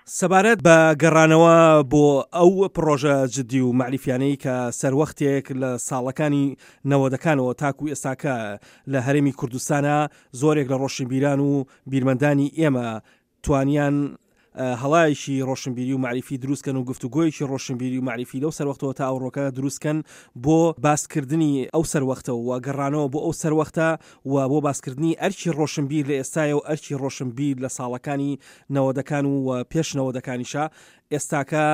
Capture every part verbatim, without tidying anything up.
سەبارەت بە گەڕانەوە بۆ ئەو پڕۆژە جدی و مەعریفیانەی کە سەروەختێک لە ساڵەکانی نەوەدەکانەوە تاکو ئێستاکە لە هەرێمی کوردستانە زۆرێک لە ڕۆشنبیران و بیرمەندانی ئێمە توانیان هەڵایەکی ڕۆشنبیری و مەعریفی دروستکەن و گفتوگۆیەکی ڕۆشنبیری و مەعریفی لەو سەروەختەوە تا ئەوڕۆکە دروستکەن بۆ باسکردنی ئەو سەروەختە و گەڕانەوە بۆ ئەو سەروەختە و بۆ باسکردنی ئەرکی ڕۆشنبیر لە ئێستایە و ئەرکی ڕۆشنبیر لە ساڵەکانی نەوەدەکان و پێش نەوەدەکانیشە. ئێستاکە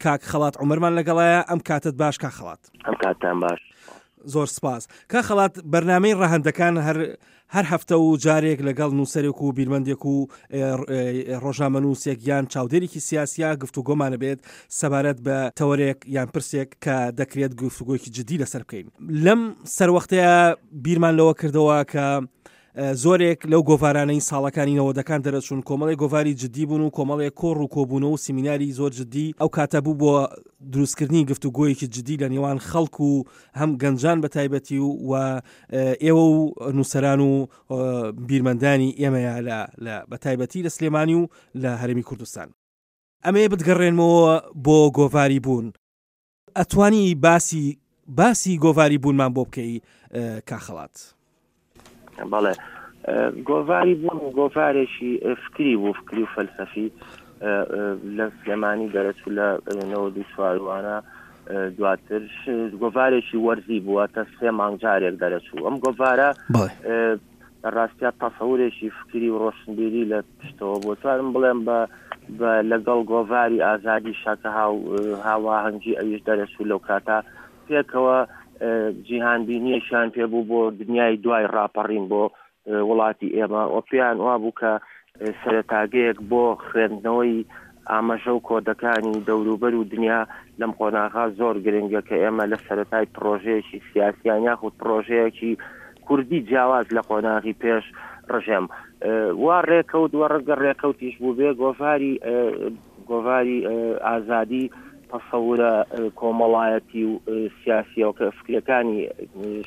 کاک خەڵات عومەرمان لەگەڵایە. ئەم کاتت باش کاک خەڵات. ئەم کاتتان باش. زۆر سپاس. کاک خەڵات، بەرنامەی ڕەهەندەکان هەر هەر هەفتە و جارێک لەگەڵ نووسەرێک و بیرمەندێک و ڕۆژنامەنووسێک یان چاودێرێکی سیاسیا گفتوگۆمانە بێت سەبارەت بە تەوەرێک یان پرسێک کە دەکرێت گفتوگۆیەکی جدی لەسەر بکەین. لەم سەروەختەیە بیرمان لەوە کردەوە کە زۆرێک لەو گۆڤارانەی ساڵەکانی نەوەدەکان دەرەچوون کۆمەڵێک گۆڤاری جدی بوون و کۆمەڵێک کۆڕ و کۆبوونەوە و سیمیناری زۆر جدی ئەو کاتە بوو بۆ دروستکردنی گفتوگۆیەکی جدی لە نێوان خەڵک و هەم گەنجان بە تایبەتی و ئێوە و نووسەران و بیرمەندانی ئێمەیە لە بە تایبەتی لە سلێمانی و لە هەرێمی کوردستان. ئەمەیە بتگەڕێنمەوە بۆ گۆڤاری بوون. ئەتوانی باسی باسی گۆڤاری بوونمان بۆ بکەی کاخەڵات؟ بەڵێ، گۆڤاری بوون گۆڤارێکی فکری بوو، فکری و فەلسەفی لە سلێمانی دەرەچوو لە نەوەد و چواروانە. دواتر گۆڤارێکی وەرزی بووە تا سێ مانگ جارێک دەرەچوو. ئەم گۆڤارە لە ڕاستیا تەسەورێکی فکری و ڕۆشنبیری لە پشتەوە بوو. توانم بڵێم بە لەگەڵ گۆڤاری ئازادی شاکە هاواهەنگی ئەویش دەرەچوو لەو کاتە پێکەوە جیهانبینیەکیان پێبوو بۆ دنیای دوای ڕاپەڕین بۆ وڵاتی ئێمە و پێیان وا بوو کە سەرەتاگەیەک بۆ خوێندنەوەی ئاماژە و کۆدەکانی دەوروبەر و دنیا لەم قۆناغا زۆر گرنگە کە ئێمە لە سەرەتای پرۆژەیەکی سیاسیان یاخود پرۆژەیەکی کوردی جیاواز لە قۆناغی پێش ڕژێم وا ڕێکەوت وە ڕەنگە ڕێکەوتیش بوو بێ. گۆڤاری گۆڤاری ئازادی تەسەورە کۆمەڵایەتی و سیاسیەوە کە فکرەکانی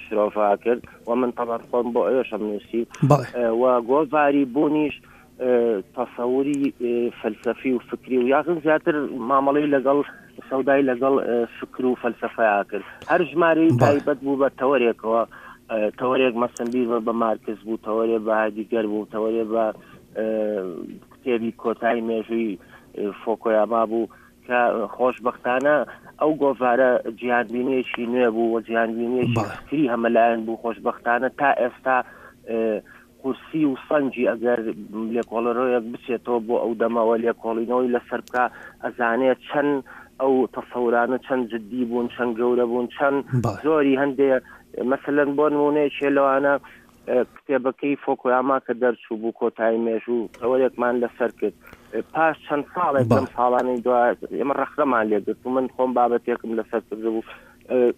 شرۆڤا کرد و من تەبعەن خۆم بۆ ئەوێشم نووسی و گۆڤاری بوونیش تەسەوری فەلسەفی و فکری و یاخن زیاتر مامەڵەی لەگەڵ سەودای لەگەڵ فکر و فەلسەفەیا کرد. هەر ژمارەی تایبەت بوو بە تەوەرێکەوە، تەوەرێک مەسەن بیر بە مارکس بوو، تەوەرێ بە هایدیگەر بوو، تەوەرێ بە کتێبی کۆتایی مێژووی فۆکۆیاما بوو کە خۆشبەختانە ئەو گۆڤارە جیهانبینیەکی نوێ بوو و جیهانبینیەکی فکری هەمەلایەن بوو. خۆشبەختانە تا ئێستا قورسی و سەنجی ئەگەر لێکۆڵەرەوەیەک بچێتەوە بۆ ئەو دەمەوە لێکۆڵینەوەی لەسەر بکە ئەزانێت چەند ئەو تەسەورانە چەند جدی بوون، چەند گەورە بوون، چەند زۆری هەندێ مەسەلەن بۆ نمونەیەکێ لەوانە کتێبەکەی فۆکۆیاما کە دەرچوو بوو کۆتایی مێژوو تەوەرێکمان لەسەر کرد. پاش چەند ساڵێک لەم ساڵانەی دوای ئێمە ڕەخنەمان لێگرت و من خۆم بابەتێکم لەسەر کردبوو.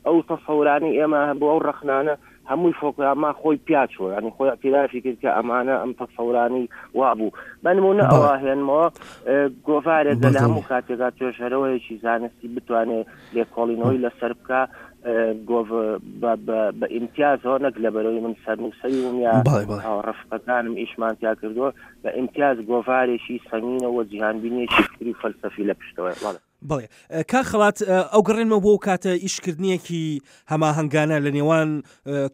ئەو تەسەورانەی ئێمە هەبوو ئەو ڕەخنانە هەمووی فۆکۆیاما خۆی پیاچوە، ینی خۆی اعترافی کرد کە ئەمانە ئەم تەسەورانی وا بوو. بە نمونە ئەوە هێنمەوە گۆڤارێک لە هەموو کاتێکا توێژەرەوەیەکی زانستی بتوانێت لێکۆڵینەوەی لەسەر بکە بە ئیمتیازەوە، نەک لەبەرەوەی من سەرنووسەری بووم یا ڕەفقەکانم ئیشمان تیا کردووە، بە ئیمتیاز گۆڤارێکی سەنگینەوە جیهانبینیەکی فکری و فەلسەفی لە پشتەوە. بەڵێ کاک خەڵات، ئەو گەڕێنمەوە بۆ کاتە ئیشکردنیەکی هەماهەنگانە لە نێوان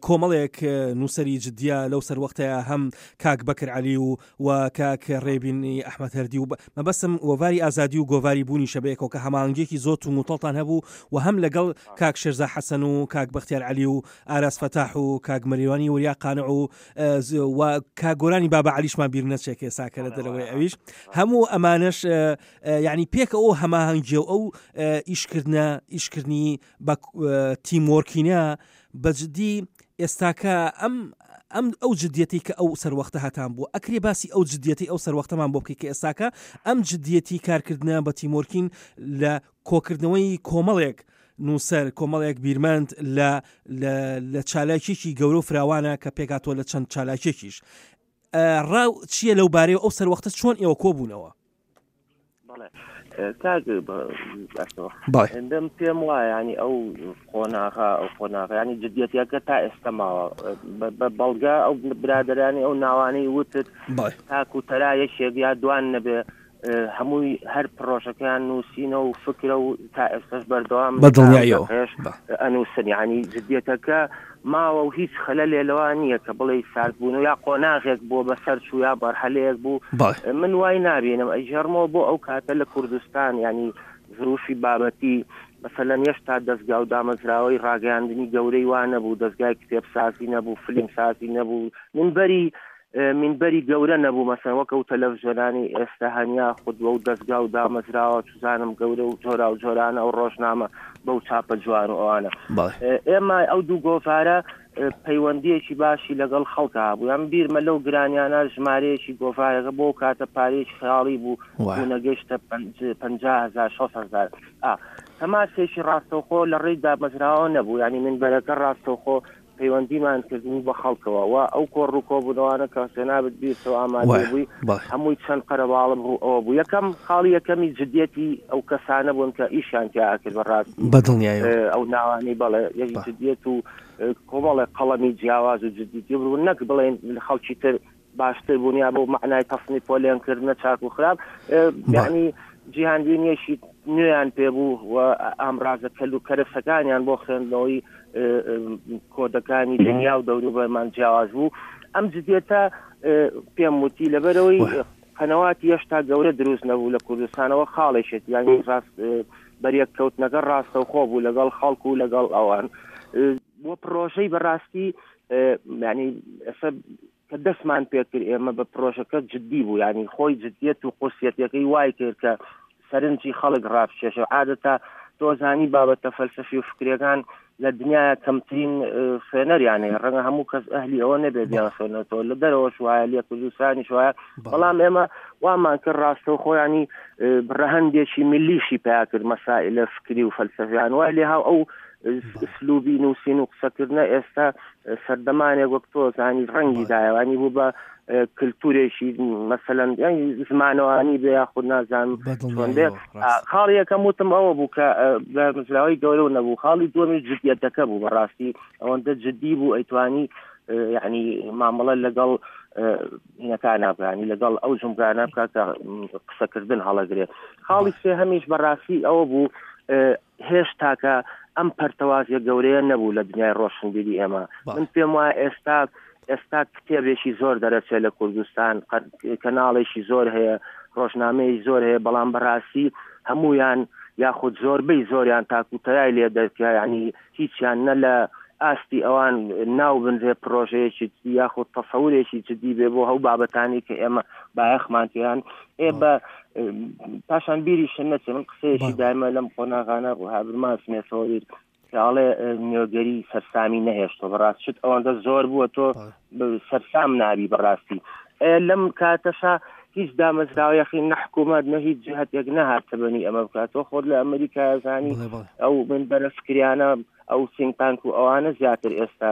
کۆمەڵێک نووسەری جدیە لەو سەروەختەیە، هەم کاک بەکر عەلی و و کاک ڕێبینی ئەحمەد هەردی و مەبەستم گۆڤاری ئازادی و گۆڤاری بوونی شەبەیەکەوە کە هەماهەنگیەکی زۆر توموتەڵتان هەبوو و هەم لەگەڵ کاک شێرزا حەسەن و کاک بەختیار عەلی و ئاراس فەتاح و کاک مەریوانی وریا قانع و و کاک گۆرانی بابا عەلیشمان بیر نەچێت کە ئێستا کە لە دەرەوەی ئەویش هەموو ئەمانەش یعنی پێکە ئەو هەماهەنگیە و ئەو ئیشکردنە ئیشکردنی بە تیمۆرکینە بەجددی ئێستاکە ئەم ئەم ئەو جدیەتی کە ئەو سەروەختە هەتان بوو، ئەکرێ باسی ئەو جدیەتی ئەو سەروەختەمان بۆ بکەی کە ئێستاکە ئەم جدیەتی کارکردنە بە تیمۆرکین لە کۆکردنەوەی کۆمەڵێک نووسەر، کۆمەڵێک بیرمەند لە لە چالاکیەکی گەورە و فراوانە کە پێکاتەوە لە چەند چالاکیەکیش. ڕاو چییە لەو بارەیە ئەو سەروەختە چۆن ئێوە کۆبوونەوە؟ کاک پێم وایە ینی ئەو قۆناغا ئەو قۆناغا ینی جدیەتەکە تا ئێستا ماوە بە بەڵگە ئەو برادرانی ئەو ناوانەی وتت تاکو تەرا یەکێک یا دوان نەبێ هەمووی هەر پرۆژەکەیان نووسینە و فکرە و تا ئێستاش بەردەوام بەدڵنیاییەوە ئەنووسن. یعنی جدیەتەکە ماوە و هیچ خەلەلێ لەوە نییە کە بڵێ ساردبوون و یا قۆناغێک بووە بەسەر چوو یا بەرحەلەیەک بوو. من وای نابینم ئەیژێڕمەوە بۆ ئەو کاتە لە کوردستان، یعنی ظروفی بابەتی مثلا هێشتا دەستگا و دامەزراوەی ڕاگەیاندنی گەورەی وا نەبوو، دەستگای کتێبسازی نەبوو، فیلمسازی نەبوو، منبەری منبەری گەورە نەبوو مەسەن وەک ئەو تەلەڤزیۆنانی ئێستا هەنیا خودوە و دەستگا و دامەزراوە چزانم گەورە و جۆرا و جۆرانە ئەو ڕۆژنامە بەو چاپە جوان و ئەوانە. ئێمە ئەو دوو گۆڤارە پەیوەندیەکی باشی لەگەڵ خەڵکا هەبوو. یان بیرمە لەو گرانیانە ژمارەیەکی گۆڤارەکە بۆ کاتە پارەیەکی خەیاڵی بوو، نەگەیشتە پەنجا هەزار شەست هەزار. تەماسێکی ڕاستەوخۆ لە ڕێی دامەزراوە نەبوو، یعنی منبەرەکە ڕاستەوخۆ پەیوەندیمان کردبوو بە خەڵکەوە و ئەو کۆڕ و کۆبوونەوانە کە جەنابت بیرتەوە ئامادە بووی هەمووی چەند قەرەباڵم ڕوو ئەوە بوو. یەکەم خاڵی یەکەمی جدیەتی ئەو کەسانە بوون کە ئیشیان تیا کرد بەڕاستی بەدڵنیایەوە ئەو ناوانەی بەڵێ یەک جدیەت و کۆمەڵێک قەڵەمی جیاواز و جدیەتی بوون، نەک بڵێن خەڵکی تر باشتر بوون یا بۆ مەعنای تەسنیف پۆلێنکردنە چاک و خراپ، یعنی جیهانبینیەکی نوێیان پێبوو و ئامرازە کەل و کەرەسەکانیان بۆ خوێندنەوەی کۆدەکانی دنیا و دەوروبەرمان جیاواز بوو. ئەم جدیەتە پێم وتی لەبەرەوەی قەنەواتی هێشتا گەورە دروست نەبوو لە کوردستانەوە خاڵێکێت، یعنی ڕاست بەریەککەوتنەکە ڕاستەوخۆ بوو لەگەڵ خەڵک و لەگەڵ ئەوان. بۆ پرۆژەی بەڕاستی یعنی ئێستا کە دەستمان پێکرد ئێمە بە پرۆژەکە جدی بوو، یعنی خۆی جدیەت و قورسیەتەکەی وای کرد کە سەرنجی خەڵک ڕابکێشە. عادەتە تۆزانی بابەتە فەلسەفی و فکریەکان لە دنیاە کەمترین خوێنەریان هەیە، ڕەنگە هەموو کەس ئەهلی ئەوە نەبێت بیان خوێنێتەوە، لە دەرەوەش وایە لە کوردستانیش وایە. بەڵام ئێمە وامان کرد ڕاستەوخۆیانی ڕەهەندێکی ملیشی پیا کرد مەسائلە فکری و فەلسەفیان وای لێ هاو ئەو ئسلوبی نووسین و قسەکردنە ئێستا سەردەمانێک وەک تۆ زانی ڕەنگی دایوانی بوو بە کللتورێکی مەسەلەن زمانەوانی بێ یاخود نازانم چۆن بێ. خاڵی یەکەم وتم ئەوە بوو کە دامەزراوەی گەورە نەبوو. خاڵی دووەمی جدیەتەکە بوو، بەڕاستی ئەوەندە جدی بوو ئەیتوانی یعنی مامەڵە لەگەڵ هینەکانە بکانی لەگەڵ ئەو جومگانە بکات کە قسەکردن هەڵەگرێت. خاڵی سێهەمیش بەڕاستی ئەوە بوو هێشتاکە ئەم پەرتەوازیە گەورەیە نەبوو لە دنیای ڕۆشنبیری ئێمە. من پێم وایە ئێستا ئێستا کتێبێکی زۆر دەرەچێت لە کوردستان، کەناڵێکی زۆر هەیە، ڕۆژنامەیەکی زۆر هەیە، بەڵام بەڕاستی هەمویان یاخود زۆربەی زۆریان تاکوتەیای لێ دەرکە، یعنی هیچیان نە لە ئاستی ئەوان ناو بنرێ پرۆژەیەکی یاخود تەسەورێکی جدی بێ بۆ هەو بابەتانی کە ئێمە بایەخمان پێیان. ئێ بە پاشان بیریشم نەچێ، من قسەیەکی دایمە لەم قۆناغانە بوو هابرماس مێسەوە بیر کاڵێ نوێگەری سەرسامی نەهێشتەوە. بەڕاست شت ئەوەندە زۆر بووە تۆ سەرسام نابی بەڕاستی. لەم کاتەشا هیچ دامەزراوە یەخین نە حکوومەت نە هیچ جهتێک نەهاتە بەنی ئەمە بکاتەوە. خۆت لە ئەمریکا زانی ئەو منبەرە فکریانە ئەو think tank و ئەوانە زیاتر ئێستا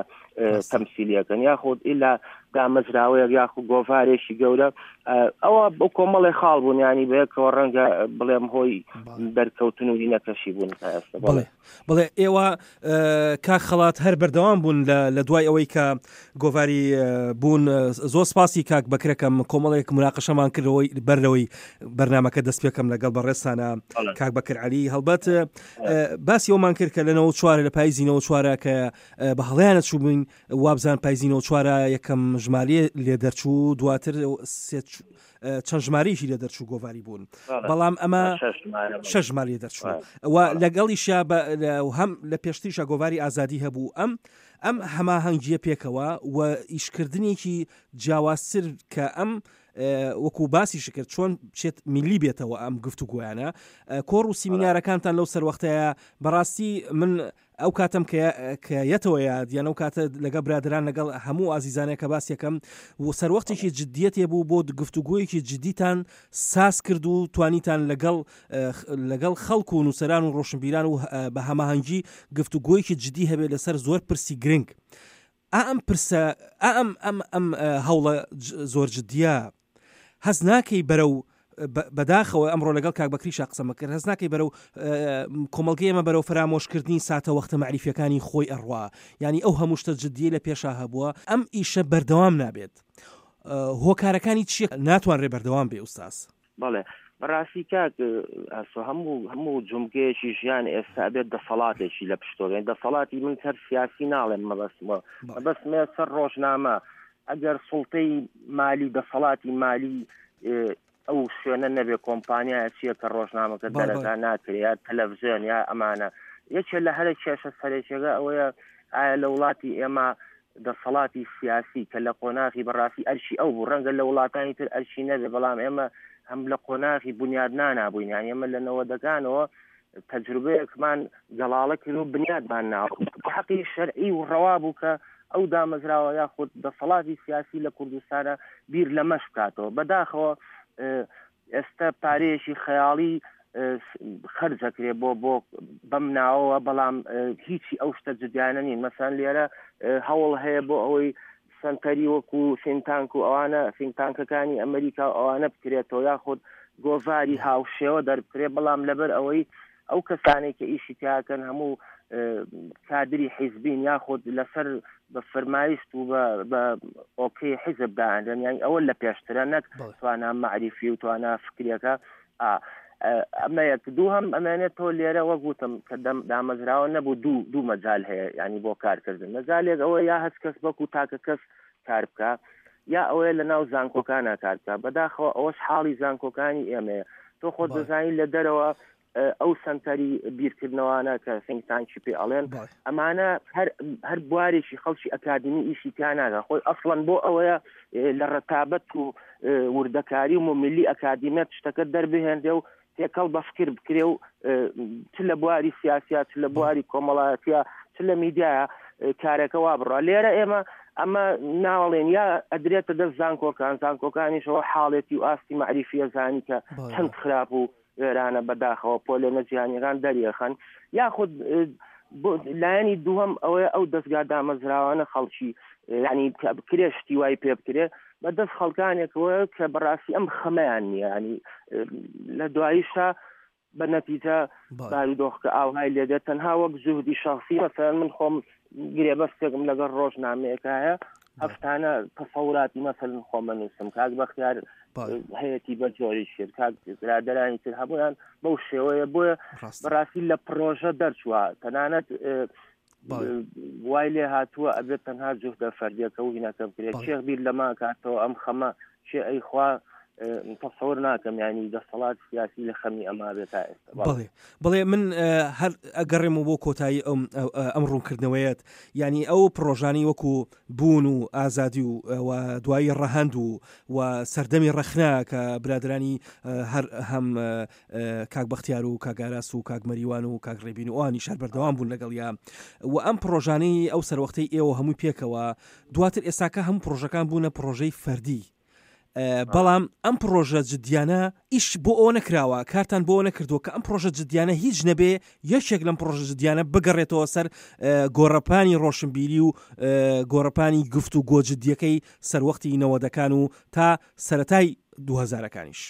تەمسیلیەکەن، یاخود ئیلا دامەزراوەیەک یاخود گۆڤارێکی گەورە. ئەوە بۆ کۆمەڵێ خاڵ بوون، ینی بەیەکەوە ڕەنگە بڵێم هۆی دەرکەوتن و هینەکەشی بوون تا ئێستا. بڵێ بڵێ ئێوە کاک خەڵات هەر بەردەوام بوون لە دوای ئەوەی کە گۆڤاری بوون. زۆر سپاسی کاک بەکرەکەم، کۆمەڵێک مناقەشەمان کردەوەی بەرلەوەی بەرنامەکە دەست پێکەم لەگەڵ بەڕێزتانە کاک بەکر عەلی. هەڵبەت باسی ئەومان کرد کە لە نەوە چوارە لە پاییزی نەوە چوارە کە بە هەڵیانە چوو بووین، وابزان پاییزی نەوە چوارە یەکەم ژمارەیە لێ دەرچوو، دواتر چەند ژمارەیەکی لێ دەرچوو گۆڤاری بوون، بەڵام ئەمە شەش ژمارە لێ دەرچوو و لەگەڵیشا هەم لە پێشتریشا گۆڤاری ئازادی هەبوو. ئەم ئەم هەماهەنگیە پێکەوە و ئیشکردنێکی جیاوازتر کە ئەم وەکو باسی شکرد چۆن بچێت میلی بێتەوە ئەم گفتوگۆیانە، کۆڕ و سیمینارەکانتان لەو سەروەختەیە بەڕاستی من ئەو کاتم کە یەتەوە یاد، یان ئەو کاتە لەگەڵ برادران لەگەڵ هەموو ئازیزانەیە کە باس یەکەم و سەروەختێکی جدیەتێ بوو بۆ گفتوگۆیەکی جدیتان ساز کرد و توانیتان لەگەڵ لەگەڵ خەڵک و نووسەران و ڕۆشنبیران و بە هەماهەنگی گفتوگۆیەکی جدی هەبێت لەسەر زۆر پرسی گرنگ. ئەم پرسە ئەم ئەم ئەم هەوڵە زۆر جدیە هەست ناکەی بەرەو بەداخەوە ئەمڕۆ لەگەڵ کاک بەکریشا قسەمە کرد، هەست ناکەی بەرەو کۆمەڵگەی ئێمە بەرەو فەرامۆشکردنی ساتە وەختە مەعریفیەکانی خۆی ئەڕوا، یعنی ئەو هەموو شتە جدیە لە پێشا هەبووە، ئەم ئیشە بەردەوام نابێت. هۆکارەکانی چییە ناتوانرێ بەردەوام بێ ئوستاز؟ بەڵێ بەڕاستی کاک ئاسۆ هەموو هەموو جومگەیەکی ژیان ئێستا ئەبێت دەسەڵاتێکی لە پشتۆ بێن. دەسەڵاتی من سەر سیاسی ناڵێم، مەبەستمە مەبەستمە سەر ڕۆژنامە. ئەگەر سوڵتەی مالی دەسەڵاتی مالی ئەو شوێنە نەبێ، کۆمپانیایە چییە کە ڕۆژنامەکە دەرەکە ناکرێ یا تەلەڤزیۆن یا ئەمانە. یەکێ لە هەرە کێشە سەرەکیەکە ئەوەیە ئایا لە وڵاتی ئێمە دەسەڵاتی سیاسی کە لە قۆناغی بەڕاستی ئەرشی ئەو بوو، ڕەنگە لە وڵاتانی تر ئەرشی نەبێ، بەڵام ئێمە هەم لە قۆناغی بنیادنانا بووین. یان ئێمە لە نەوەدەکانەوە تەجروبەیەکمان گەڵاڵە کرد و بنیادمان ناوە. حەقی شەرعی و ڕەوا بوو کە ئەو دامەزراوە یاخود دەسەڵاتی سیاسی لە کوردستانە بیر لەمەش بکاتەوە. بەداخەوە ئێستا پارەیەکی خەیاڵی خەرجەکرێ بۆ بۆ بەم ناوەوە، بەڵام هیچی ئەو شتە جدیانە نین. مەسەن لێرە هەوڵ هەیە بۆ ئەوەی سەنتەری وەکو think tank و ئەوانە think tank ەکانی ئەمریکا و ئەوانە بکرێتەوە، یاخود گۆڤاری هاوشێوە دەربکرێ، بەڵام لەبەر ئەوەی ئەو کەسانێک کە ئیشی تیاکەن هەموو کادری حیزبین یاخود لەسەر بە فەرمایشت و بە okay حیزب داانرێن، یان ئەوە لە پێشترە نەک توانا مەعریفی و توانا فکریەکە. ئەمە یەک. دوو هەم ئەمێنێتەوە لێرە وەک وتم کە دامەزراوە نەبوو، دوو دوو مەجال هەیە ینی بۆ کارکردن. مەجالێک ئەوە یا هەست کەس وەکو تاکە کەس کار بکە، یا ئەوەیە لە ناو زانکۆکانە کار بکە. بەداخەوە ئەوەش حاڵی زانکۆکانی ئێمەیە. تۆ خۆت دەزانی لە دەرەوە ئەو سەنتەری بیرکردنەوانە کە think tank ی پێ ئەڵێن، ئەمانە هەر هەر بوارێکی خەڵکی ئەکادمی ئیشی تیا ناکا. خۆی ئەسڵەن بۆ ئەوەیە لە ڕەتابەت و وردەکاری و ملی ئەکادیمیەت شتەکە دەربهێنرێ و تێکەڵ بە فکر بکرێ و چ لە بواری سیاسیا، چ لە بواری کۆمەڵایەتیە، چ لە میدیایە کارەکە وا بڕە. لێرە ئێمە ئەمە ناڵێن یا ئەدرێتە دەست زانکۆکان، زانکۆکانیشەوە حاڵێتی و ئاستی مەعریفیە زانی کە چەند خراپ و وێرانە بەداخەوە پۆلێنە جیهانیەکان دەریەخەن. یاخود لایەنی دووەم ئەوەیە ئەو دەستگا دامەزراوانە خەڵکی ینی بکرێ شتی وای پێ بکرێ بەدەست خەڵکانێکەوە کە بەڕاستی ئەم خەمەیان نییە. ینی لە دواییشا بە نەتیجە بارودۆخکە ئاوهای لێدێت تەنها وەک جوهدی شخصی. مەسەلەن من خۆم گرێبەستێکم لەگەڵ ڕۆژنامەیەکایە، هەفتانە تەسەوراتی مەسەلەن خۆمە نووسم، کاک بەختیار هەیەتی بە جۆری کرد، کاک برادەرانی تر هەموویان بەو شێوەیە. بۆیە بەڕاستی لە پرۆژە دەرچووە، تەنانەت وای لێ هاتووە ئەبێت تەنها جوهدە فەردیەکە و هینەکە بکرێت. شێخ بیر لەما کاتەوە ئەم خەمە شێ ئەی خوا تەسەور ناکەم، ینی دەسەڵات سیاسی لە خەمی ئەما بێت تا ئێستا. بەڵێ بەڵێ من هەر ئەگەڕێمەوە بۆ کۆتایی ئەم ئەم ڕوونکردنەوەیەت، یعنی ئەو پرۆژانی وەکو بوون و ئازادی و دوایی ڕەهەند و و سەردەمی ڕەخنا کە برادرانی هەر هەم کاک بەختیار و کاک ئاراس و کاک مەریوان و کاک ڕێبین و ئەوانیش هەر بەردەوام بوون لەگەڵیا و ئەم پرۆژانەی ئەو سەروەختەی ئێوە هەمووی پێکەوە دواتر ئێستاکە هەموو پرۆژەکان بوونە پرۆژەی فەردی. بەڵام ئەم پرۆژە جدیانە ئیش بۆ ئەوە نەکراوە، کارتان بۆ نەکردووە کە ئەم پرۆژە جدیانە هیچ نەبێ یەکێک لەم پرۆژە جدیانە بگەڕێتەوە سەر گۆڕەپانی ڕۆشنبیری و گۆڕەپانی گفت و گۆجدیەکەی سەروەختی نەوەدەکان و تا سەرەتای دوو هەزارەکانیش.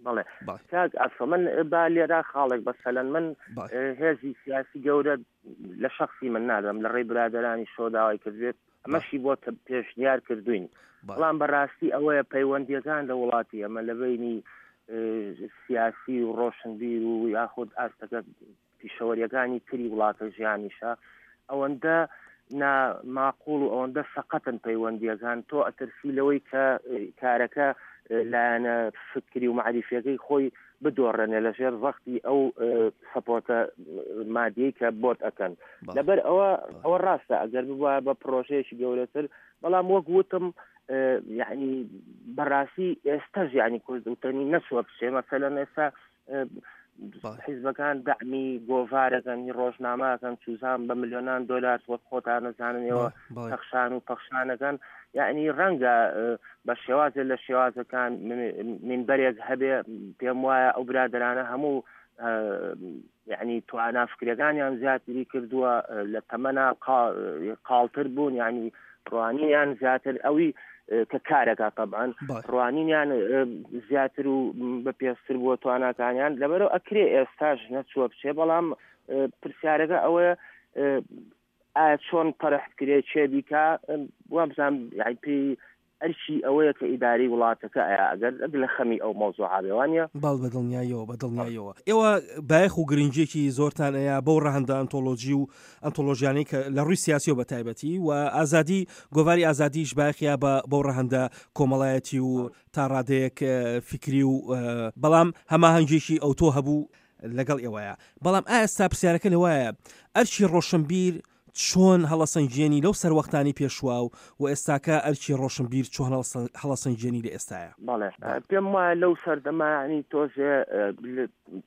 بەڵێ کاک ئاسۆ، من با لێرە خاڵێک بەسەلەن من هێزی سیاسی گەورە لە شخصی من نادەم، لە ڕێی برادەرانی شۆ داوای کردبێت، ئەمەشی بۆ پێشنیار کردوین. بەڵام بەڕاستی ئەوەیە پەیوەندیەکان لە وڵاتی ئەمە لە بینی سیاسی و ڕۆشنبیر و یاخود ئاستەکە پیشەوەریەکانی تری وڵاتە ژیانیشە ئەوەندە ناماقوڵ و ئەوەندە سەقەتن پەیوەندیەکان. تۆ ئەترسی لەوەی کە کارەکە لایەنە فکری و مەعریفیەکەی خۆی بدۆڕێنێ لەژێر ڕەختی ئەو سەپۆرتە مادیەی کە بۆت ئەکەن. لەبەر ئەوە ئەوە ڕاستە ئەگەر ببوایە بە پرۆژەیەکی گەورەتر، بەڵام وەک وتم یعنی بەڕاستی ئێستاش یعنی کورد وتەنی نەچووە بچێ. مەسەلەن ئێستا حیزبەکان دەعمی گۆڤارەکەن، ڕۆژنامەکەن، چوزان بە ملیۆنان دۆلار وەک خۆتان نەزاننەوە پەخشان و پەخشانەکەن. یعنی ڕەنگە بە شێوازێ لە شێوازەکان منبەرێک هەبێ، پێم وایە ئەو برادەرانە هەموو یعنی توانا فکرەکانیان زیاتری کردووە، لە تەمەنا قاڵتر بوون، یعنی ڕوانینیان زیاتر ئەوی کە کارەکە طبعاً ڕوانینیان زیاتر و بەپێستر بووە تواناکانیان. لەبەرەوە ئەکرێ ئێستاش نەچووە بچێ، بەڵام پرسیارەکە ئەوەیە ئایا چۆن پەرح بکرێ، چێ بیکا، وابزانم یعنی پێی ئەرکی ئەوەیە کە ئیداری وڵاتەکە ئەیا ئەگەر لە خەمی ئەو مەوزوعە بێ وانییە؟ بەڵ بە دڵنیاییەوە بە دڵنیاییەوە ئێوە بایەخ و گرنگیەکی زۆرتان ئەیا بەو ڕەهەندە ئەنتۆلۆژی و ئەنتۆلۆژیانەی کە لە ڕووی سیاسیەوە بە تایبەتی و ئازادی گۆڤاری ئازادیش بایەخیا بە بەو ڕەهەندە کۆمەڵایەتی و تا ڕادەیەک فیکری و بەڵام هەماهەنگێکی ئەوتۆ هەبوو لەگەڵ ئێوەیە. بەڵام ئایا ئێستا پرسیارەکە لەوایە ئەرکی ڕۆشنبیر چۆن هەڵەسەنگێنی لەو سەروەختانی پێشوا و و ئێستاکە ئەرکی ڕۆشنبیر چۆن هەڵەسەنگێنی لە ئێستاە؟ بەڵێ پێم وایە لەو سەردەمانی تۆزێ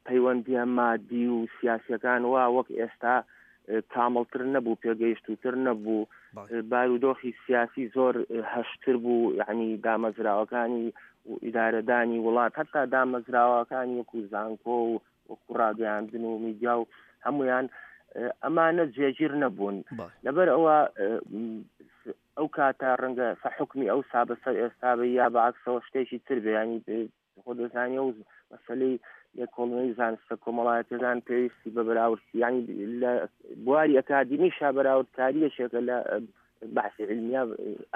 پەیوەندیە مادی و سیاسیەکان وا وەک ئێستا کامڵتر نەبوو، پێگەیشتوتر نەبوو، بارودۆخی سیاسی زۆر هەشتر بوو، یعنی دامەزراوەکانی و ئیدارەدانی وڵات هەتا دامەزراوەکانی وەکو زانکۆ و وەکو ڕاگەیاندن و میدیا و هەمویان ئەمانە جێگیر نەبوون. لەبەر ئەوە ئەو کاتە ڕەنگە حکمی ئەو سا بەسەر ئێستا بێ یا بەعکسەوە شتێکی تر بێ، ینی خۆ دەزانی ئەو مەسەلەی لێکۆڵینەوەی زانستە کۆمەڵایەتیەکان پێویستی بە بەراورد، ینی لە بواری ئەکادیمیشا بەراوردکاریەکێکە لە بەحسی علمیە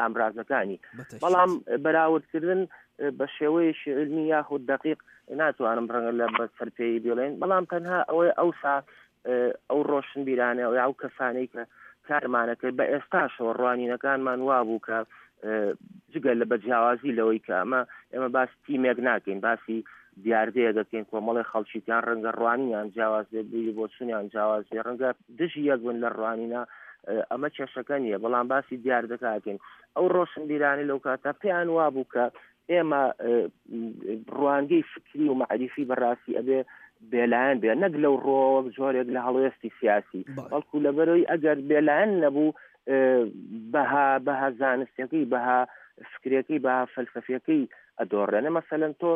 ئامرازەکانی، بەڵام بەراوردکردن بە شێوەیەکی علمی یاخود دقیق ناتوانم ڕەنگە لە بەسەرپێی بڵێن، بەڵام تەنها ئەوەی ئەوسا ئەو ڕۆشنبیرانە و ئەو کەسانەی کە کارمانە کرد بە ئێستاشەوە ڕوانینەکانمان وابوو کە جگە لە بەجیاوازی لەوەی کە ئەمە ئێمە باس تیمێک ناکەین، باسی دیاردەیە دەکەین، کۆمەڵی خەڵکییان ڕەنگە ڕوانیان جیاواز بێ، بیری بۆچوونیان جیاواز بێ، ڕەنگە دژی یەک بن لە ڕوانینە، ئەمە کێشەکە نییە، بەڵام باسی دیاردەکەکەین. ئەو ڕۆشنبیرانی لەو کاتە پێیان وابوو کە ئێمە ڕوانگەی فکری و مەعریفی بەڕاستی ئەبێ بێلایەن بێ، نەک لەو ڕۆوە جۆرێک لە هەڵوێستی سیاسی، بەڵکو لەبەرەوەی ئەگەر بێلایەن نەبوو بەها بەها زانستیەکەی، بەها فکرەکەی، بەها فەلسەفیەکەی ئەدۆڕێنە. مەسەلەن تۆ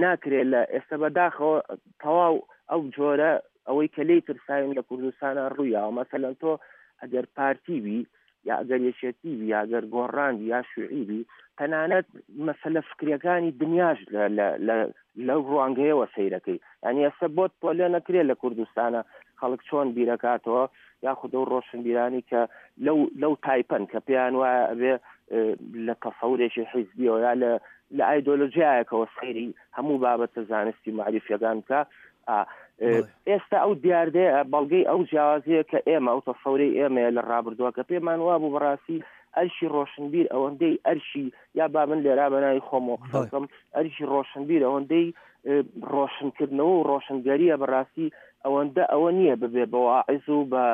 ناکرێت لە ئێستا بەداخەوە تەواو ئەو جۆرە ئەوەی کە لێی ترساوین لە کوردستانە ڕوویاوە. مەسەلەن تۆ ئەگەر پارتی بی یا ئەگەر یەکێتی بی یا ئەگەر گۆڕان بی یا شوعی بی، تەنانەت مەسەلە فکریەکانی دنیاش لەو ڕوانگەیەوە سەیرەکەی. یعنی ئێستا بۆت پۆلێ نەکرێت لە کوردستانە خەڵک چۆن بیرەکاتەوە، یاخود ئەو ڕۆشنبیرانی کە لەو لەو تایپەن کە پێیان وایە ئەبێ لە تەسەورێکی حیزبیەوە یا لە لە ئایدۆلۆژیایەکەوە سەیری هەموو بابەتە زانستی مەعریفیەکان بکە. ئێستا ئەو دیاردەیە بەڵگەی ئەو جیاوازیە کە ئێمە ئەو تەسەورەی ئێمەیە لە ڕابردووە کە پێمان وابوو بەڕاستی ئەرشی ڕۆشنبیر ئەوەندەی ئەرشی یا با من لێرا بەناوی خۆمەوە قسە بکەم، ئەرشی ڕۆشنبیر ئەوەندەی ڕۆشنکردنەوە و ڕۆشنگەریە بەڕاستی ئەوەندە ئەوە نییە ببێ بە واعظ و بە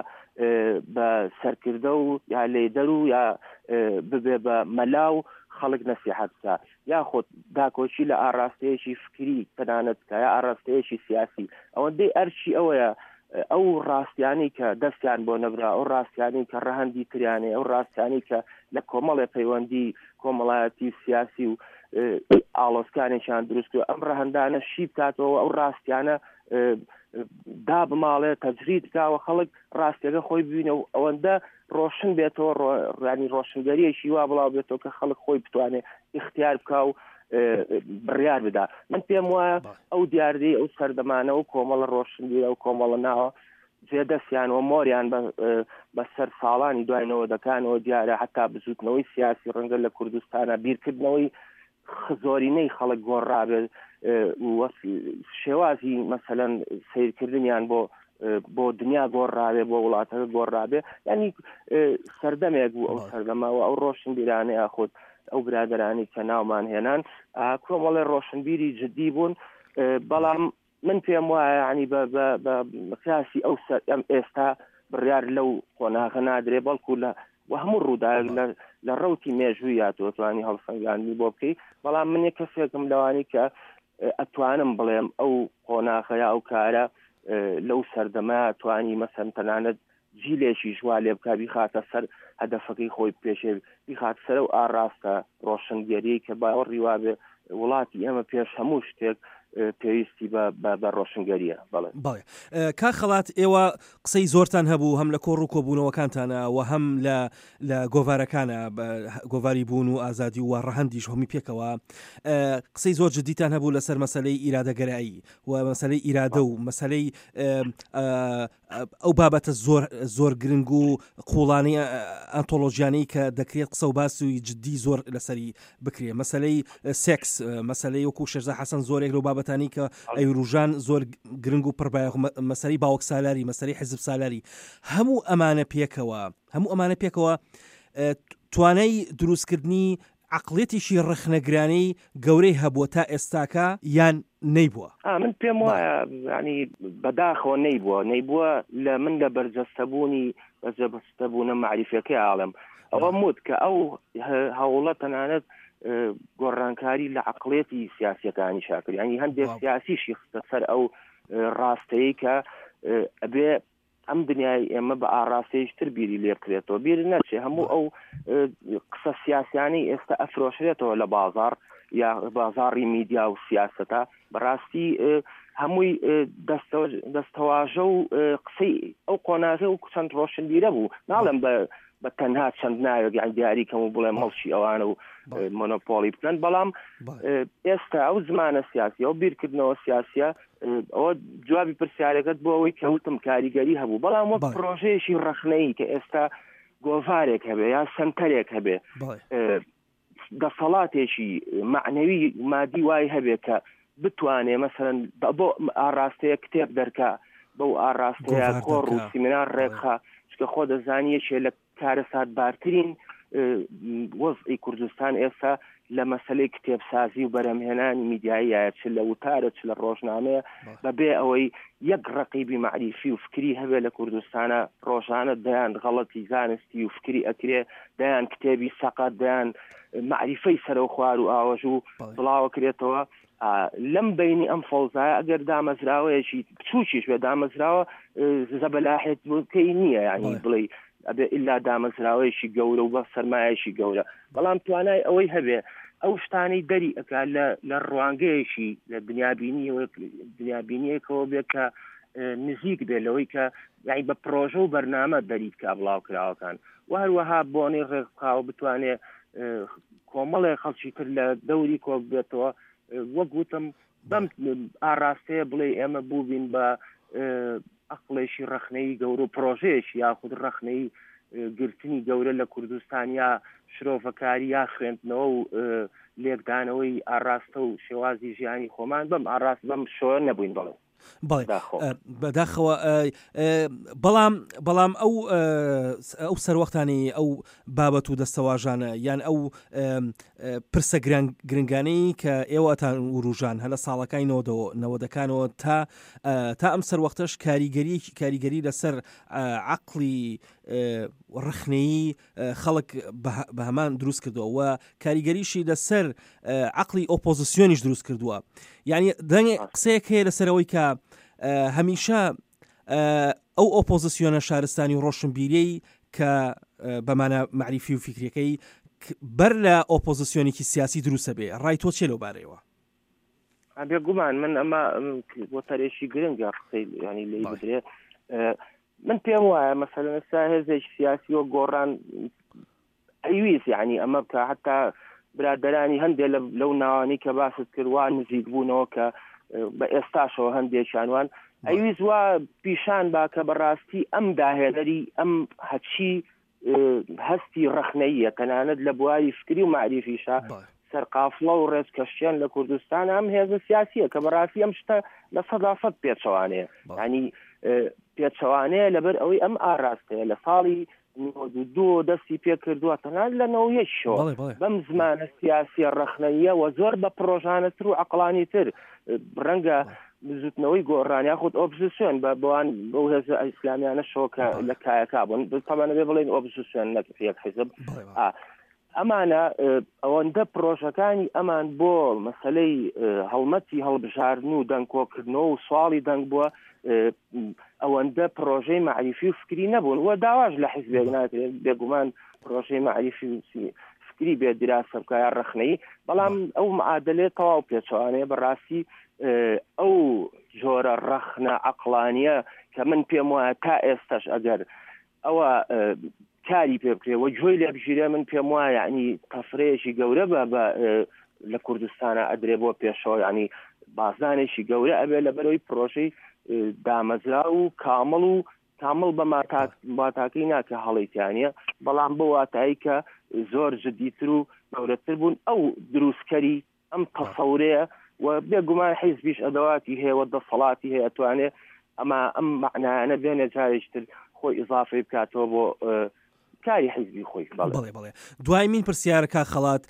بە سەرکردە و یا لێدەر و یا ببێ بە مەلا و خەڵک نەسیحەت بکە، یاخود داکۆکی لە ئاراستەیەکی فکری تەنانەت بکە یا ئاراستەیەکی سیاسی. ئەوەندەی ئەرشی ئەوەیە ئەو ڕاستیانەی کە دەستیان بۆ نەبرا، ئەو ڕاستیانەی کە ڕەهەندی تریانێ، ئەو ڕاستیانەی کە لە کۆمەڵێ پەیوەندی کۆمەڵایەتی و سیاسی و ئاڵۆزکانێکیان دروست کرد، ئەم ڕەهەندانە شی بکاتەوە، ئەو ڕاستیانە دابماڵێ، تەجرید بکاوە، خەڵک ڕاستیەکە خۆی ببینە و ئەوەندە ڕۆشن بێتەوە، ڕانی ڕۆشنگەریەکی وا بڵاو بێتەوە کە خەڵک خۆی بتوانێت ئیختیار بکا و بڕیار بدا. من پێم وایە ئەو دیاردەی ئەو سەردەمانە و کۆمەڵە ڕۆشنبیرە و کۆمەڵە ناوە جێدەستیان و مۆریان بەسەر ساڵانی دوای نەوەدەکانەوە دیارە، حتا بزوتنەوەی سیاسی ڕەنگە لە کوردستانە بیرکردنەوەی زۆرینەی خەڵک گۆڕابێت، شێوازی مەسەلەن سیرکردنیان بۆ بۆ دنیا گۆڕاوێ، بۆ وڵاتەکە گۆڕاوێ. ینی سەردەمێک بوو ئەو سەردەمەوە ئەو ڕۆشنبیرانە یاخود ئەو برادرانی کە ناومان هێنان کۆمەڵێ ڕۆشنبیری جدی بوون. بەڵام من پێم وایە ینی بە قیاسی ئەو ئەم ئێستا بڕیار لەو قۆناغە نادرێ، بەڵکو لە و هەموو ڕووداوێک لە ڕەوتی مێژوویە تۆ توانی هەڵسەنگاندنی بۆ بکەی. بەڵام من یەک کەسێکم لەوانی کە ئەتوانم بڵێم ئەو قۆناغە یا ئەو کارە لەو سەردەمە توانی مەسەن تەنانەت جیلێکی ژوا لێ بکە بیخاتە سەر هەدەفەکەی خۆی پێشێ، بیخات سەر و ئاراستە ڕۆشنگەری کە باوەڕی وابێ وڵاتی ئێمە پێش هەموو شتێک پێویستی بە ڕۆشنگەریە. بەڵێ بەڵێ کاک خەڵات، ئێوە قسەی زۆرتان هەبوو هەم لە کۆڕ و کۆبوونەوەکانتانە و هەم لە لە گۆڤارەکانە، گۆڤاری بوون و ئازادی و ڕەهەندیش هەمی پێکەوە قسەی زۆر جدیتان هەبوو لەسەر مەسلەی ئیرادەگەرایی و مەسلەی ئیرادە و مەسلەی ئەو بابەتە زۆر زۆر گرنگ و قوڵانەی ئەنتۆلۆژیانەی کە دەکرێت قسە و باسی جدی زۆر لەسەری بکرێت، مەسلەی سێکس، مەسلەی وەکو شێرزا حەسەن زۆرێک لەو بابەتانی کە ئەیروژان زۆر گرنگ و پڕبایەخ، مەسەلەی باوک سالاری، مەسەلەی حیزب سالاری، هەموو ئەمانە پێکەوە هەموو ئەمانە پێکەوە توانای دروستکردنی عقلێتیشی ڕەخنەگرانەی گەورەی هەبووە تا ئێستاکە یان نەیبووە؟ من پێم وایە ینی بەداخەوە نەیبووە، نەیبووە لە من لە بەرجەستەبوونی بەرجەستەبوونە مەعریفەکەی ئاڵم ئەوە موت کە ئەو هەوڵە تەنانەت گۆڕانکاری لە عقلێتی سیاسیەکانی شاکرد، ینی هەندێک سیاسیشی خستە سەر ئەو ڕاستەیە کە ئەبێ ئەم دنیای ئێمە بە ئاراستەیشتر بیری لێ بکرێتەوە. بیر نەچێ هەموو ئەو قسە سیاسیانەی ئێستا ئەفرۆشرێتەوە لە بازار یا بازاڕی میدیا و سیاسەتە، بەڕاستی هەمووی دەستەواژە و قسەی ئەو قۆناغە و چەند ڕۆشنبیرە بوو. ناڵێم بە بە تەنها چەند ناوێک یان دیاری کەم و بڵێم هەڵشی ئەوانە و مۆنۆپۆلی بکەن، بەڵام ئێستا ئەو زمانە سیاسیە ئەو بیرکردنەوە سیاسیە ئەوە جوابی پرسیارەکەت بۆ ئەوەی کەوتم کاریگەری هەبوو، بەڵام وەک پرۆژەیەکی ڕەخنەیی کە ئێستا گۆڤارێک هەبێ یا سەنتەرێک هەبێ، دەسەڵاتێکی معنەوی مادی وای هەبێ کە بتوانێ مەسەلەن بۆ ئاراستەیە کتێب دەرکا، بەو ئاراستەیە کۆڕ و سیمینار ڕێکخا، چکە خۆ دەزانی یەکێ لە کارەساتبارترین وەزعی کوردستان ئێستا لە مەسلەی کتێبسازی و بەرەمهێنانی میدیاییە، چ لە وتارە چ لە ڕۆژنامەیە، بەبێ ئەوەی یەک ڕەقیبی مەعریفی و فکری هەبێ لە کوردستانە. ڕۆژانە دەیان غەڵەتی زانستی و فکری ئەکرێ، دەیان کتێبی سەقەت، دەیان مەعریفەی سەرەوخوار و ئاوەژ و بڵاوەکرێتەوە. لەم بینی ئەم فەوزایە ئەگەر دامەزراوەیەکی بچووکیش بێ دامەزراوە زەبەلاحێت بکەی نییە، یعنی بڵێ ئەبێ ئللا دامەزراوەیەکی گەورە و بە سەرمایەکی گەورە، بەڵام توانای ئەوەی هەبێ ئەو شتانەی دەری ئەکا لە ڕوانگەیەکی لە دنیابینیەکەوە بێ کە نزیک بێ لەوەی کە یعنی بە پرۆژە و بەرنامە دەری بکا بڵاوکراوەکان، و هەروەها بۆنەی ڕێکخاوە بتوانێ کۆمەڵێ خەڵکی تر لە دەوری کۆ بێتەوە. وەک وتم بەم ئاراستەیە بڵێ ئێمە بووبین بە عقلێکی ڕەخنەی گەورە و پرۆژەیەکی یاخود ڕەخنەی گرتنی گەورە لە کوردستان یا شرۆڤەکاری یا خوێندنەوە و لێکدانەوەی ئاراستە و شێوازی ژیانی خۆمان بەم ئاراست بەم شۆ نەبووین. بەڵێ بەڵێ بەداخەوە. بەڵام بەڵام ئەو ئەو سەروەختانی ئەو بابەت و دەستەواژانە یان ئەو پرسە گرنگانەی کە ئێوەتان وروژان هە لە ساڵەکانی نەوەدەکانەوە تا تا ئەم سەروەختەش کاریگەری کاریگەری لەسەر عەقڵی ڕەخنەیی خەڵک بە هەمان دروست کردووە و کاریگەریشی لەسەر عەقڵی ئۆپۆزیسیۆنیش دروست کردووە. یعنی دەنگێ قسەیەک هەیە لەسەرەوەی کە هەمیشە ئەو ئۆپۆزیسیۆنە شارستانی و ڕۆشنبیریەی کە بەمانە مەعریفی و فیکریەکەی بەر لە ئۆپۆزیسیۆنێکی سیاسی دروستە بێ، ڕای تۆ چێ لەو بارەیەوە؟ بێگومان من ئەمە وتەرێکی گرنگە قسەی ینی لێی بدرێ. من پێم وایە مەسەلەن ئێستا هێزێکی سیاسی وەک گۆڕان ئەیویست یعنی ئەمە بکە، حتا برادەرانی هەندێک لەو ناوانەی کە باست کرد وا نزیک بوونەوە کە بە ئێستاشەوە هەندێکیانوان ئەیویست وا پیشان با کە بەڕاستی ئەم داهێنەری ئەم هەچی هەستی ڕەخنەیە تەنانەت لە بواری فکری و مەعریفیشە سەرقافڵە و ڕێزکەشتیان لە کوردستان ئەم هێزە سیاسیە کە بەڕاستی ئەم شتە لە سەدا سەد پێچەوانەیە، ینی پێچەوانەیە لەبەر ئەوەی ئەم ئاراستەیە لە ساڵی نەوەد و دوو دەستی پێکردووە تەنانەت لە نەوەد و یەکشەوە بەم زمانە سیاسیە ڕەخنەیە و زۆر بە پرۆژانەتر و عەقڵانی تر ڕەنگە بزوتنەوەی گۆڕان یاخود ئۆپۆزیسیۆن بە بەوان بەو هێزە ئیسلامیانە شەوە کە لە کایەکا بوون، تەبعەن بێ بڵێن ئۆپۆزیسیۆن نەک یەک حیزب، ئەمانە ئەوەندە پرۆژەکانی ئەمان بۆ مەسلەی هەڵمەتی هەڵبژاردن و دەنگکۆکردنەوە و سواڵی دەنگ بووە، ئەوەندە پرۆژەی مەعریفی و فکری نەبوون و داواش لە حیزبێک ناکرێت بێگومان پرۆژەی مەعریفی و فکری بێ دراسە بکە یا ڕەخنەیی، بەڵام ئەو معادلەیە تەواو پێچەوانەیە. بەڕاستی ئەو جۆرە ڕەخنە عەقڵانییە کە من پێم وایە تا ئێستاش ئەگەر ئەوە کاری پێ بکرێ و گوێی لێ بگیرێ، من پێم وایە یعنی تەفرەیەکی گەورە بە بە لە کوردستانە ئەدرێ بۆ پێشەوە، یعنی بازدانێکی گەورە ئەبێ لە بەرەوەی پرۆژەی دامەزرا و کامڵ و کامڵ بە ماتاکەی ناکە هەڵیتیانە، بەڵام بۆ واتایی کە زۆر جدیتر و گەورەتر بوون ئەو دروستکەری ئەم تەسەورەیە و بێگومان حیزبیش ئەدەواتی هەیە و دەسەڵاتی هەیە ئەتوانێ ئەما ئەم معنایانە بێنێ جارێکتر خۆی ئیزافەی بکاتەوە بۆ کاری حیزبی خۆی. بەڵێ بەڵێ. دوای من پرسیارەکە خەڵات،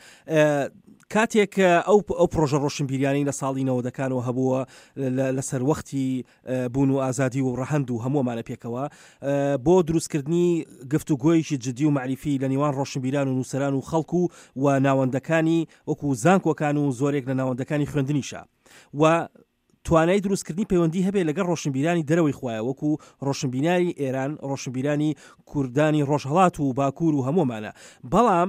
کاتێک ئەو ئەو پرۆژە ڕۆشنبیریانەی لە ساڵی نەوەدەکانەوە هەبووە لەسەر وەختی بوون و ئازادی و ڕەهەند و هەموومانە پێکەوە بۆ دروستکردنی گفتوگۆیەکی جدی و معریفی لە نێوان ڕۆشنبیران و نووسەران و خەڵک و و ناوەندەکانی وەکو زانکۆکان و زۆرێک لە ناوەندەکانی خوێندنیشە و توانای دروستکردنی پەیوەندی هەبێ لەگەڵ ڕۆشنبیرانی دەرەوەی خوایە وەکو ڕۆشنبیرانی ئێران، ڕۆشنبیرانی کوردانی ڕۆژهەڵات و باکوور و هەموومانە. بەڵام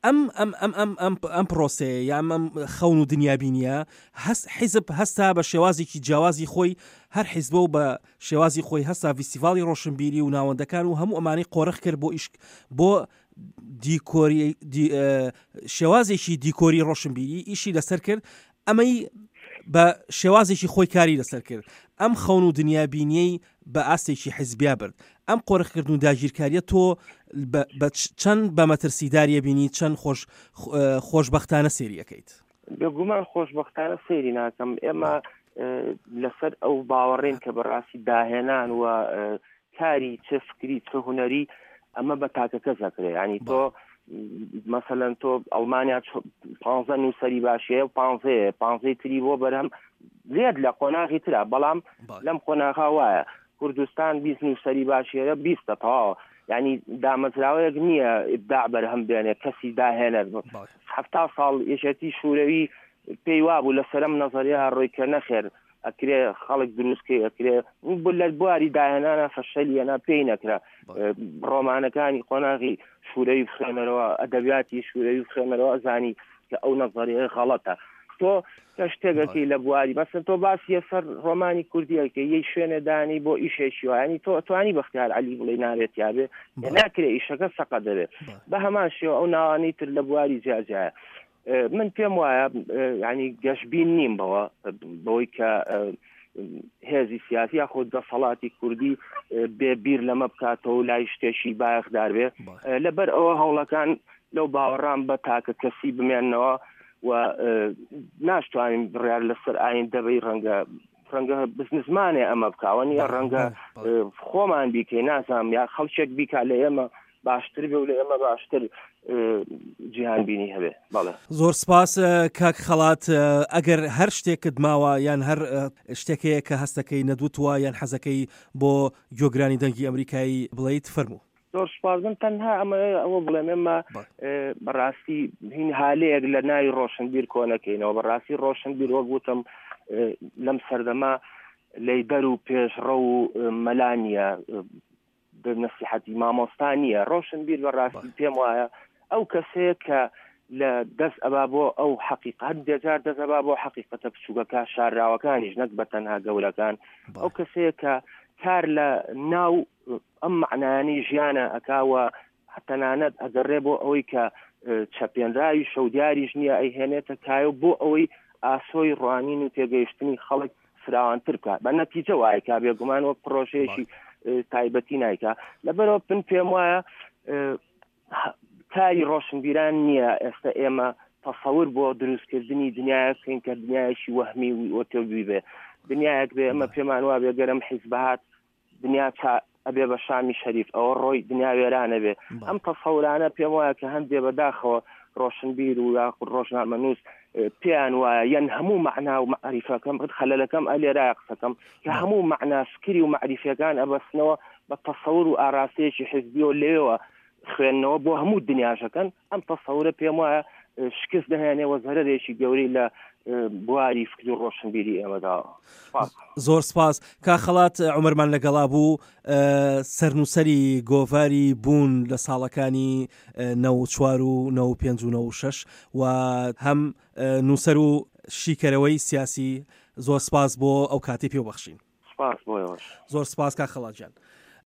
ئەم ئەم ئەم ئەم ئەم ئەم پرۆسەیە یا ئەم خەون و دنیابینیە هەست حیزب هەستا بە شێوازێکی جیاوازی خۆی، هەر حیزبە و بە شێوازی خۆی هەستا فیستیڤاڵی ڕۆشنبیری و ناوەندەکان و هەموو ئەمانەی قۆرخ کرد بۆ ئیش بۆ دیکۆری شێوازێکی دیکۆری ڕۆشنبیری ئیشی لەسەر کرد، ئەمەی بە شێوازێکی خۆی کاری لەسەر کرد، ئەم خەون و دنیابینیەی بە ئاستێکی حیزبیا برد. ئەم قۆرخکردن و داگیرکاریە تۆ بە چەند بە مەترسیداریە بینی، چەند خۆش خۆشبەختانە سێریەکەیت؟ بێگومان خۆشبەختانە سێری ناکەم. ئێمە لەسەر ئەو باوەڕین کە بەڕاستی داهێنان و کاری چ فکری چ هونەری ئەمە بە تاکەکە زەکرێ. ینی تۆ مثلا تۆ ئەڵمانیا پانزە نووسەری باشەیە و پانزەیە پانزەی تری بۆ بەرهەم لێت لە قۆناغی ترا، بەڵام لەم قۆناغا وایە کوردستان بیست نووسەری باشەیە بیستە تەواوە، یعنی دامەزراوەیەک نییە ئیبداع بەرهەم بێنێ کەسی داهێنەر. حەفتا ساڵ یەکێتی شوورەوی پێی وابوو لەسەرم نەزەریە ڕۆی کە نەخێر ئەکرێ خەڵک دروستکەی ئەکرێ لە بواری داهێنانە فەشەلیەنا پێی نەکرا. ڕۆمانەکانی قۆناغی شوورەوی بخوێنەرەوە، ئەدەبیاتی شوورەوی بخوێنەرەوە، ئەزانی کە ئەو نەزەریە غەڵەتە. تۆ کە شتێکەکەی لە بواری مەسەن تۆ باسی سەر ڕۆمانی کوردیەکە یەی شوێنێ دانی بۆ ئیشێکی وایە، ینی تۆ توانی بەختیار عەلی بڵێ ناوێت یابێ ناکرێ ئیشەکە سەقە دەبێت. بە هەمان شێوە ئەو ناوانەی تر لە بواری جیاجیایە. من پێم وایە ینی گەشبین نیم بەوە بەوەی کە هێزی سیاسی یاخود دەسەڵاتی کوردی بێبیر لەمە بکاتەوە و لای شتێکی بایەخدار بێ. لەبەر ئەوە هەوڵەکان لەو باوەڕان بە تاکە کەسی بمێننەوە و ناشتوانین بڕیار لەسەر ئایندە بەی ڕەنگە ڕەنگە بزنسمانێ ئەمە بکاوە نییە، ڕەنگە خۆمان بیکەی نازانم یا خەڵکێک بیکا لە ئێمە باشتر بێ و لە ئێمە باشتر جیهانبینی هەبێ. بەڵێ زۆر سپاس کاک خەڵات. ئەگەر هەر شتێکت ماوە یان هەر شتێکەیە کە هەستەکەی نەدوتووە یان حەزەکەی بۆ گوێگرانی دەنگی ئەمریکایی بڵیت فەرموو. زۆر سپاس. من تەنها ئەمە ئەوە بڵێم ئێمە بەڕاستی هین هالەیەک لە ناوی ڕۆشنبیر کۆنەکەینەوە. بەڕاستی ڕۆشنبیر وەک وتم لەم سەردەما لەیدەر و پێشڕەو و مەلا نییە، نەسیحەتی مامۆستا نییە. ڕۆشنبیر بەڕاستی پێم وایە ئەو کەسەیە کە لە دەست ئەبا بۆ ئەو حەقیقەت، هەندێک جار دەست ئەبا بۆ حەقیقەتە بچووکەکە شارراوەکانیش نەک بە تەنها گەورەکان. ئەو کەسەیە کە کار لە ناو ئەم معنایانی ژیانە ئەکاوە، تەنانەت ئەگەڕێ بۆ ئەوەی کە چەپێنراوی شەودیاریش نییە ئەیهێنێتە کایە بۆ ئەوەی ئاسۆی ڕوانین و تێگەیشتنی خەڵک فراوانتر بکات. بە نەتیجە وایکا بێگومان وەک پرۆژەیەکی تایبەتی نایکا. لەبەرەوە من پێم وایە کاری ڕۆشنبیران نییە ئێستا ئێمە تەسەور بۆ دروستکردنی دنیایەک بکەین کە دنیایەکی وەهمی و ئۆتۆبی بێ، دنیایەک بێ ئەمە پێمان وا بێ گەرم حیزب هات دنیا ئەبێ بە شامی شەریف ئەوە ڕۆی دنیا وێرانە بێ. ئەم تەسەورانە پێم وایە کە هەندێ بەداخەوە ڕۆشنبیر و یاخود ڕۆژنامەنووس پێیان وایە یان هەموو مەعنا و مەعریفەکەم خەلەلەکەم ئەلێرایە قسەکەم کە هەموو مەعنا فکری و مەعریفەکان ئەبەستنەوە بە تەسەور و ئاراستەیەکی حیزبیەوە لێوە خوێندنەوە بۆ هەموو دنیاشەکەن. ئەم تەسەورە پێم وایە شکست دەهێنێ و زەرەرێکی گەورەی لە بواری فکر و ڕۆشنبیری ئێمەدا. زۆر سپاس کا خەڵات. عومەرمان لەگەڵا بوو، سەرنووسەری گۆڤاری بوون لە ساڵەکانی نەوە چوار و نەوە پێنج و نەوە شەش و هەم نووسەر و شیکەرەوەی سیاسی. زۆر سپاس بۆ ئەو کاتی پێ بەخشین. سپاس بۆ ئێوەش. زۆر سپاس کاک خەڵات گیان.